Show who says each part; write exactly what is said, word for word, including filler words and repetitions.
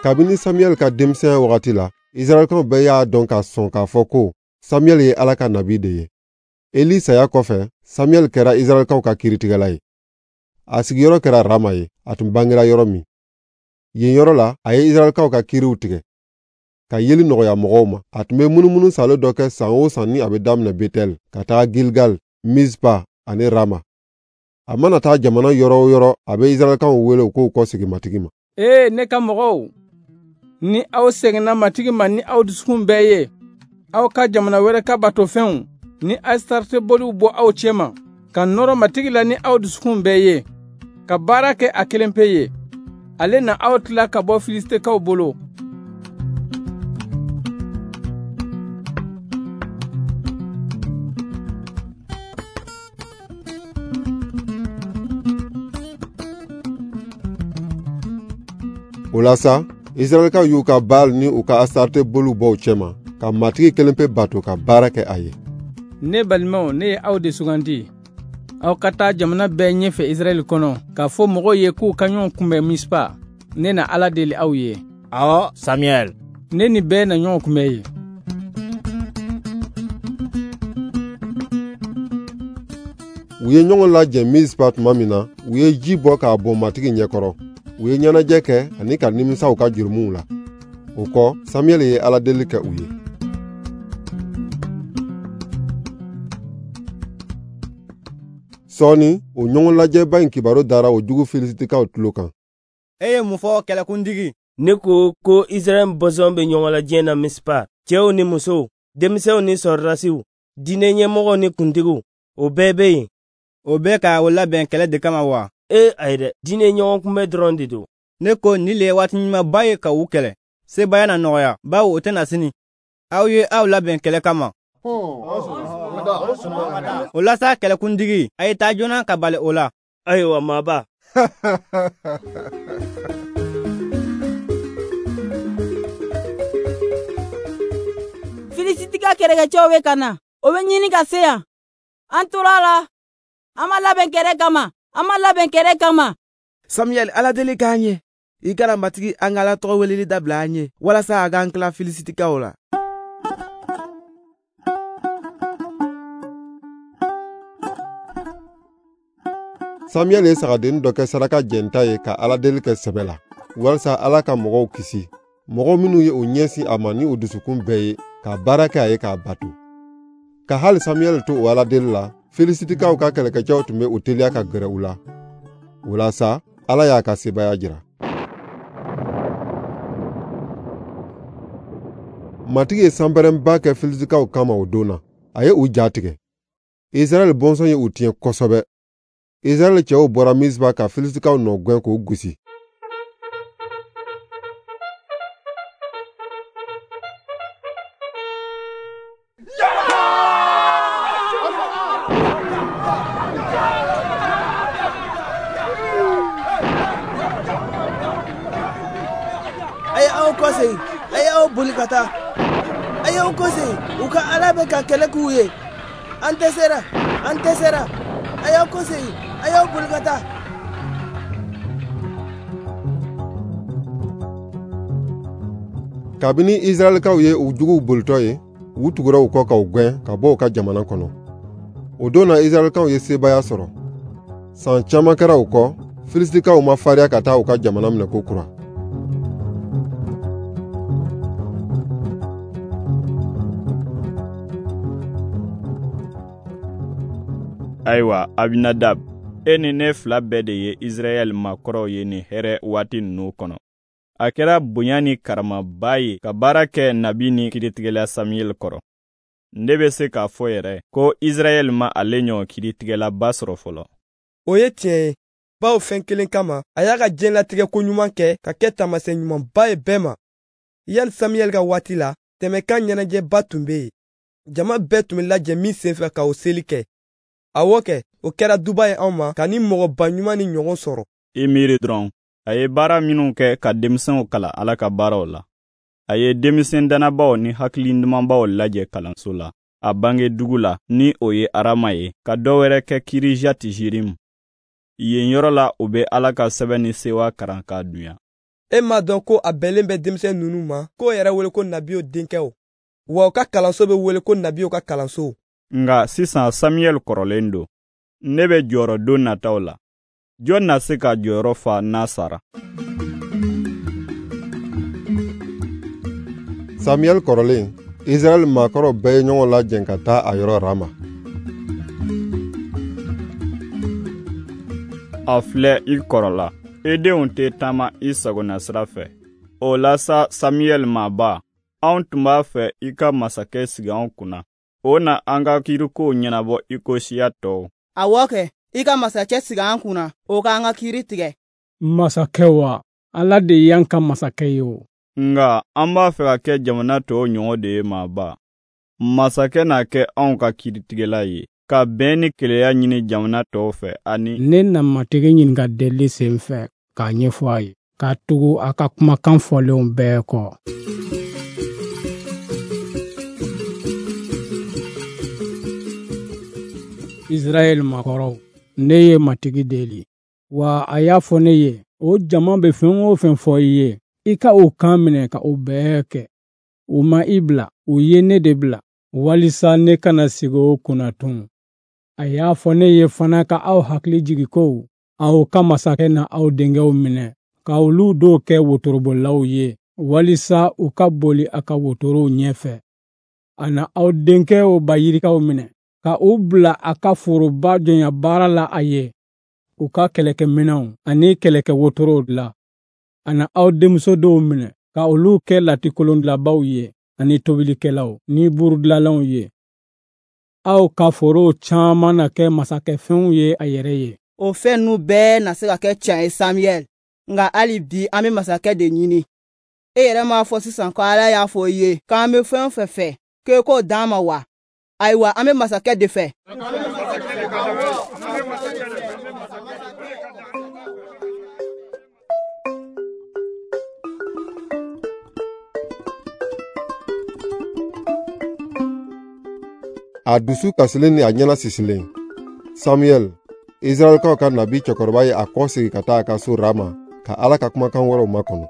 Speaker 1: Kabini Samuel ka denmisɛnya wagati la, Israɛlkaw bɛɛ y'a dɔn ka sɔn k'a fɔ ko Samuel ye Ala ka nabi de ye. Eli saya kɔfɛ, Samuel kɛra Israɛlkaw ka kiiritigɛla ye. A sigiyɔrɔ kɛra Rama ye, a tun bangera yɔrɔ min. Yen yɔrɔ la, a ye Israɛlkaw ka kiiriw tigɛ, ka yeli nɔgɔya mɔgɔw ma. A tun bɛ munumunu salo dɔ kɛ san o san ni a bɛ daminɛ Betɛl ka taga Gilgal, Mizpa ani Rama. A mana taa jamana yɔrɔ o yɔrɔ, a bɛ Israɛlkaw wele u k'u kɔsegin Matigi ma.
Speaker 2: Ee, ne ka mɔgɔw, ni aw seginna Matigi ma ni aw dusukun bɛɛ ye, aw ka jamana wɛrɛ ka batofɛnw ni Asitarte boliw bɔ aw cɛma, ka nɔrɔ Matigi la ni aw dusukun bɛɛ ye, ka baara kɛ a kelen pe ye, ale na aw tila ka bɔ Filisitikaw bolo.
Speaker 1: O la sa, Israɛlkaw y'u ka Baal ni u ka Asitarte boliw bɔ u cɛma, ka Matigi kelen pe bato ka baara kɛ a ye.
Speaker 2: Ne balimaw, ne ye aw de sugandi. Aw ka taa jamana bɛɛ ɲɛfɛ Israɛl kɔnɔ, k'a fɔ mɔgɔw ye k'u ka ɲɔgɔn kunbɛn Mispa. Ne na Ala deli aw ye.
Speaker 3: Awɔ, Samuel.
Speaker 2: Ne ni bɛɛ na ɲɔgɔn kunbɛn yen.
Speaker 1: U ye ɲɔgɔn lajɛ Mispa tuma min na, u ye ji bɔ k'a bɔn Matigi ɲɛkɔrɔ. U ye ɲɛnajɛ kɛ ani ka nimisa u ka jurumuw la. O kɔ, Samuel ye Ala deli kɛ u ye. Sɔɔni, o ɲɔgɔn lajɛba in kibaru dara o jugu Filisitikaw tulo kan.
Speaker 4: E ye mun fɔ, kɛlɛkuntigi?
Speaker 5: Ne ko ko Israɛl bɔnsɔn bɛ ɲɔgɔn lajɛ na Mispa, cɛw ni musow, denmisɛnw ni sɔrɔdasiw, diinɛ ɲɛmɔgɔw ni kuntigiw, o bɛɛ bɛ yen.
Speaker 4: O bɛ ka o labɛn kɛlɛ de kama wa?
Speaker 5: Ee, ayi dɛ, diinɛ ɲɔgɔn kunbɛn dɔrɔn de don.
Speaker 4: Ne ko nin le ye waati ɲumanba ye ka u kɛlɛ. Sebaaya na nɔgɔya, bawo o tɛna sini. Aw ye aw labɛn kɛlɛ kama. O la sa, kɛlɛkuntigi, a ye taa joona ka bali o la.
Speaker 5: Ayiwa, maaba.
Speaker 6: Filisitika kɛlɛkɛcɛw bɛ ka na. O bɛ ɲini ka se yan. An tora a la. An ma labɛn kɛlɛ kama. An ma labɛn kɛlɛ kama.
Speaker 7: Samuel, Ala deli k'an ye. I kana Matigi an ka Ala tɔgɔ weleli dabila an ye, walasa a k'an tila Filisitikaw la.
Speaker 1: Samuel ye sagadennin dɔ kɛ saraka jɛnta ye ka Ala deli kɛ sɛbɛ la, walasa Ala ka mɔgɔw kisi, mɔgɔ minnu ye u ɲɛsin a ma ni u dusukun bɛɛ ye, ka baara kɛ a ye k'a bato. Ka hali Samuel to o Ala deli la, Filisitikaw ka kɛlɛkɛcɛw tun bɛ u teliya ka gɛrɛ u la. O la sa, Ala y'a ka sebaaya jira. Matigi ye sanpɛrɛnba kɛ Filisitikaw kama o don na. A ye u ja tigɛ. Israɛl bɔnsɔn ye u tiɲɛ kosɛbɛ. Israɛl cɛw bɔra Mispa ka Filisitikaw nɔ gɛn k'u gosi.
Speaker 7: A ye aw kɔsegin, a ye aw boli ka taa. A ye aw kɔsegin, u ka Ala bɛ ka kɛlɛ k'u ye. An dɛsɛra, an dɛsɛra. A y'aw kɔsegin, a y'aw boli ka taa.
Speaker 1: Kabini Israɛlkaw ye u juguw bolitɔ ye, u tugura u kɔ ka u gɛn ka bɔ u ka jamana kɔnɔ. O don na Israɛlkaw ye sebaaya sɔrɔ. San caman kɛra o kɔ, Filisitikaw ma farinya ka taa u ka jamana minɛ ko kura.
Speaker 8: Ayiwa, Abinadab, e ni ne fila bɛɛ de ye Israɛl maakɔrɔw ye nin hɛrɛ waati ninnu kɔnɔ. A kɛra bonya ni karamaba ye ka baara kɛ nabi ni kiiritigɛla Samuel kɔrɔ. Ne bɛ se k'a fɔ yɛrɛ ko Israɛl ma ale ɲɔgɔn kiiritigɛlaba sɔrɔ fɔlɔ.
Speaker 9: O ye tiɲɛ ye, bawo fɛn kelen kama, a y'a ka diɲɛlatigɛ ko ɲuman kɛ ka kɛ taamasiyɛn ɲumanba ye bɛɛ ma. Yanni Samuel ka waati la, tɛmɛkan ɲɛnajɛba tun bɛ yen. Jama bɛɛ tun bɛ lajɛ min senfɛ ka o seli kɛ. Awɔ kɛ, o kɛra duba ye anw ma ka ni mɔgɔba ɲuman ni ɲɔgɔn sɔrɔ.
Speaker 8: I miiri dɔrɔn, a ye baara minnu kɛ ka denmisɛnw kalan Ala ka baaraw la. A ye denmisɛn dannabaw ni hakili ɲumanbaw lajɛ kalanso la, a bange dugu la ni o ye Arama ye, ka dɔ wɛrɛ kɛ Kirijati-Jirim. Yen yɔrɔ la, u bɛ Ala ka sɛbɛn ni sewa karan k'a dunya.
Speaker 9: E m'a dɔn ko a bɛnlen bɛ denmisɛn ninnu ma k'o yɛrɛ wele ko nabiw denkɛw, wa u ka kalanso bɛ wele ko nabiw ka kalanso.
Speaker 8: Nka sisan Samiyɛli kɔrɔlen don. Ne bɛ jɔyɔrɔ don nataw la. Jɔn na se ka jɔyɔrɔ fa n'a sara?
Speaker 1: Samiyɛli kɔrɔlen, Israɛl maakɔrɔw bɛɛ ye ɲɔgɔn lajɛ ka taa a yɔrɔ Rama.
Speaker 8: A filɛ, i kɔrɔla. I denw tɛ taama i sagona sira fɛ. O la sa, Samiyɛli maaba, anw tun b'a fɛ i ka masakɛ sigi anw kunna. O na an ka kiirikow ɲɛnabɔ i ko siya tɔw.
Speaker 3: Awɔ kɛ, i ka masakɛ sigi an kunna, o k'an ka kiiri tigɛ.
Speaker 2: Masakɛ wa, Ala de y'an ka masakɛ ye o.
Speaker 8: Nka an b'a fɛ ka kɛ jamana tɔw ɲɔgɔn de ye maaba. Masakɛ na kɛ anw ka kiiritigɛla ye, ka bɛn ni keleya ɲini jamana tɔw fɛ ani.
Speaker 2: Ne na Matigi ɲininka delili sen fɛ k'a ɲɛfɔ a ye, ka tugu a ka kumakan fɔlenw bɛɛ kɔ. Israɛl makɔrɔw, ne ye Matigi deli, wa a y'a fɔ ne ye, o jama bɛ fɛn o fɛn fɔ i ye, i ka o kan minɛ ka o bɛɛ kɛ. U ma i bila, u ye ne de bila, walisa ne kana sigi o kunna tun. A y'a fɔ ne ye fana ka aw hakili jigi ko, aw ka masakɛ na aw denkɛw minɛ, ka olu dɔw kɛ wotorobolilaw ye, walisa u ka boli a ka wotorow ɲɛfɛ. A na aw denkɛw bayirikaw minɛ, ka u bila a ka foroba jɔnya baara la a ye, u ka kɛlɛkɛminɛnw ani kɛlɛkɛ wotorow la. A na aw denmuso dɔw minɛ, ka olu kɛ latikolondilabaw ye, ani tobilikɛlaw ni burudilanlaw ye. Aw ka forow caman na kɛ masakɛfɛnw ye a yɛrɛ ye.
Speaker 3: O fɛn ninnu bɛɛ na se ka kɛ tiɲɛ ye Samiyɛli, nka hali bi an bɛ masakɛ de ɲini. E yɛrɛ m'a fɔ sisan ko Ala y'a fɔ i ye k'an bɛ fɛn o fɛn fɛ, k'e k'o d'an ma wa? Ayiwa, an bɛ masakɛ de fɛ.
Speaker 1: A dusu kasilen ni a ɲɛna sisilen, Samiyɛli, Israɛlkaw ka nabi cɛkɔrɔba ye a kɔ sigi ka taa a ka so Rama ka Ala ka kumakan wɛrɛw makɔnɔ.